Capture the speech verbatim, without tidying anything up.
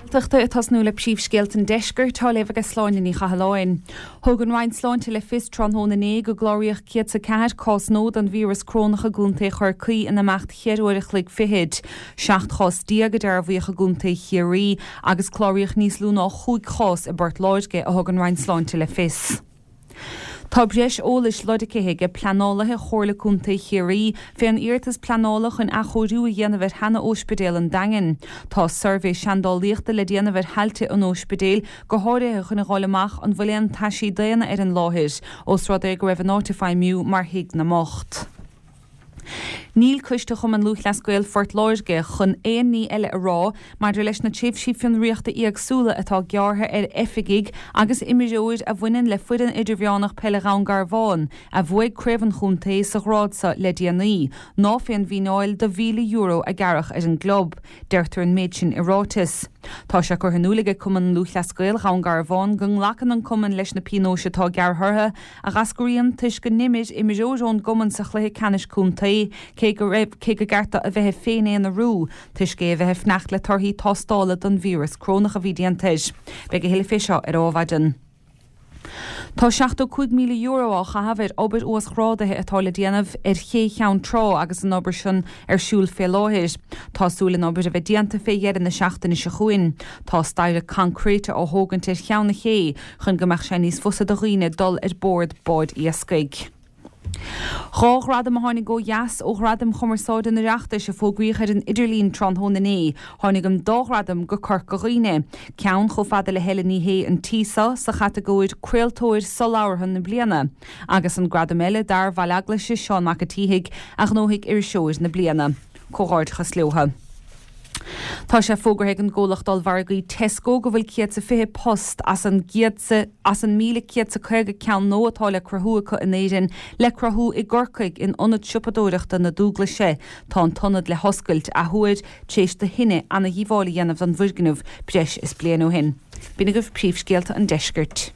Gaeltachta ag tosnú le príomhscéalta an deiscirt á léamh ag Sláine Ní Chathalláin. Thug an Roinn Sláinte le fios tráthnóna inné go gcláraíodh céad is a ceathair cás nua den víreas corónach i gContae Chorcaí in imeacht cheithre uair a chloig fichead. Seacht chás déag a dearbhaíodh i gContae Chiarraí agus cláraíodh níos lú ná chúig chás i bPort Láirge, a thug an Roinn Sláinte le fios. Tá breis eolais lorgtha ag pleanálaithe Chomhairle Contae Chiarraí fén iarratas pleanála chun athchóiriú a dhéanamh ar sheana-óispidéal an Daingin. Tá suirbhé seandálaíochta le déanamh ar thailte an óispidéil, go háirithe chun a dh'fháil amach an bhfuil aon taisí daonna ar an láthair, ós rud é go raibh an áit ag feidhmiú mar thigh na mbocht. Níl Coiste Chumann Lúthchleas Gael Phort Láirge chun aon ní eile a rá maidir leis na tréimhsí fionraíochta éagsúla atá gearrtha ar oifigigh agus imreoir a bhaineann le foireann idirmheánach peile Dhún Garbhán a bhuaigh craobh an chontae sa ghrád seo le déanaí, ná fén bhfíneáil de mhíle euro a gearradh ar an gclub. Deirtear an méid sin i ráiteas. Tá sé curtha in iúl ag Cumann Lúthchleas Gael Dhún Garbhán go nglacann an cumann leis na pionóis atá gearrtha orthu, a dh'eascraíonn toisc go n-imir imreoir ón gcumann sa chluiche ceannais contae, cé go raibh, cé gur ceart dó a bheith ag féin-aonarú, toisc é a bheith ag fanacht le torthaí tástála don víreas corónach a bhí déanta air. Beidh a thuilleadh fé seo ar Adhmhaidin. Tá seachtó cúig míle euro á chaitheamh ar obair uasghrádaithe atá le déanamh ar ché Cheann Trá agus an obair sin ar siúl fé láthair. Tá súil an obair a bheith déanta fé dheireadh na seachtaine seo chugainn. Tá staighre coincréite á thógaint ar cheann na cé chun go mbeadh sé níos fusa do dhaoine dul ar bord báid iascaigh. Dhá ghradam a tháinig ó dheas ó Ghradaim Chumarsáide an Oireachtais a fógraíodh ar an idirlíon tráthnóna inné. Tháinig an dá ghradam go Corca Dhuibhne. Ceann chomh fada le Helen Ní Shé an tí seo sa chatagóir 'Craoltóir Solabhartha na Bliana' agus an gradam eile d'fhear Bhaile Eaglaise, Seán Mac a' tSíthigh, a ghnóthaigh Iriseoir na Bliana. Comhghairdeachas leotha. Tá sé fógartha ag an gcomhlacht ollmhargaí Tesco go bhfuil céad 's a fiche post as an gcéad as an míle céad 's a caoga ceann nua atá le cruthú acu in Éirinn le cruthú i gCorcaigh in ionad siopadóireachta na Dúglaise. Tá an t-ionad le hoscailt athuair tar éis do thine ana-dhíobháil a dhéanamh don bhfoirgneamh breis is bliain ó shin. B'in agaibh príomhscéalta an deiscirt.